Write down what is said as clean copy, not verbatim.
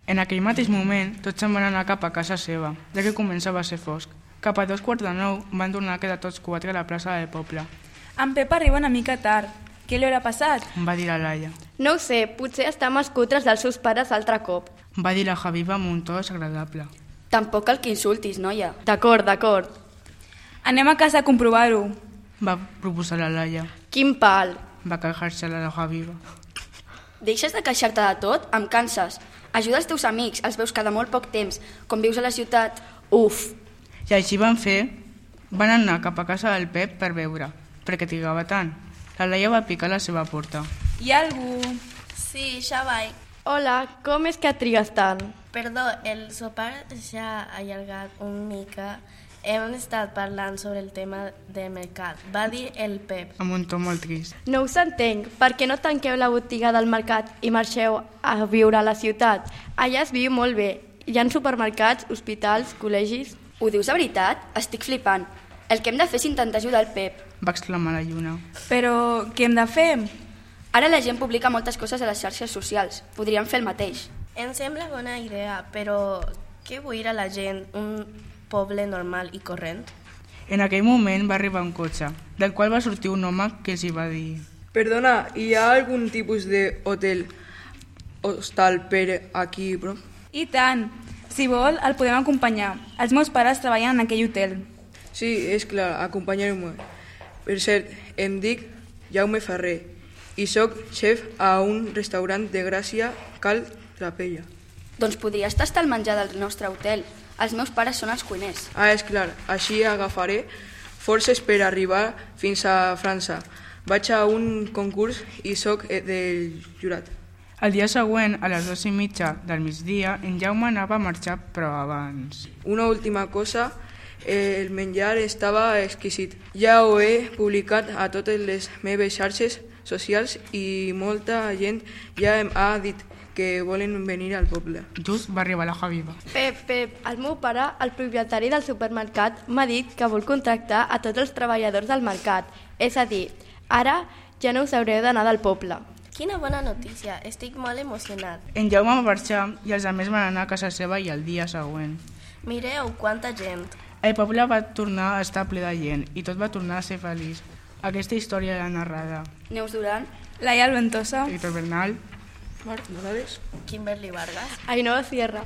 En aquell mateix moment, tots se'n van anar cap a casa seva, ja que començava a ser fosc. Cap a 8:45 van tornar a quedar tots quatre a la plaça del poble. En Pep arriba una mica tard. Què li haurà passat? Va dir la Laia. No ho sé, potser està amb els cutres dels seus pares altre cop. Va dir la Javiva amb un to desagradable. Tampoc cal que insultis, noia. D'acord. Anem a casa a comprovar-ho. Va proposar la Laia. Quin pal. Va queixar-se la Javiva. Deixes de queixar-te de tot? Em canses. Ajuda els teus amics, els veus cada molt poc temps. Com vius a la ciutat, uf. I així van fer. Van anar cap a casa del Pep per veure, perquè trigava tant. La Laia va picar a la seva porta. Hi ha algú? Sí, ja vaig. Hola, com és que trigues tant? Perdó, el sopar s'ha allargat una mica. Hem estat parlant sobre el tema del mercat. Va dir el Pep. Amb un to molt trist. No us entenc. Per què no tanqueu la botiga del mercat i marxeu a viure a la ciutat? Allà es viu molt bé. Hi ha supermercats, hospitals, col·legis... Ho dius de veritat? Estic flipant. El que hem de fer és intentar ajudar el Pep. Va exclamar la Lluna. Però què hem de fer? Ara la gent publica moltes coses a les xarxes socials. Podríem fer el mateix. Em sembla bona idea, però què vull ir a la gent? Un poble normal i corrent? En aquell moment va arribar un cotxe, del qual va sortir un home que els hi va dir: Perdona, hi ha algun tipus d'hotel, hostal per aquí, bro? I tant. Si vol, el podem acompanyar. Els meus pares treballen en aquell hotel. Sí, és clar, acompanyeu-me. Per cert, em dic Jaume Ferrer i sóc xef a un restaurant de Gràcia, Cal Trapella. Doncs podries tastar el menjar del nostre hotel. Els meus pares són els cuiners. Ah, és clar, així agafaré forces per arribar fins a França. Vaig a un concurs i sóc del jurat. El dia següent, a les 2:30 del migdia, en Jaume anava a marxar, però abans. Una última cosa, el menjar estava exquisit. Ja ho he publicat a totes les meves xarxes socials i molta gent ja em ha dit que volen venir al poble. Just va arribar la Javiva. Pep, el meu pare, el propietari del supermercat, m'ha dit que vol contractar a tots els treballadors del mercat. És a dir, ara ja no us haureu d'anar del poble. Quina bona notícia, estic molt emocionat. En Jaume va marxar i els altres van anar a casa seva i el dia següent. Mireu quanta gent. El poble va tornar a estar ple de gent i tot va tornar a ser feliç. Aquesta història l'ha narrada Neus Duran, Laia Alventosa. Víctor Bernal, Marc Morales, Kimberly Vargas. Ainhoa Sierra.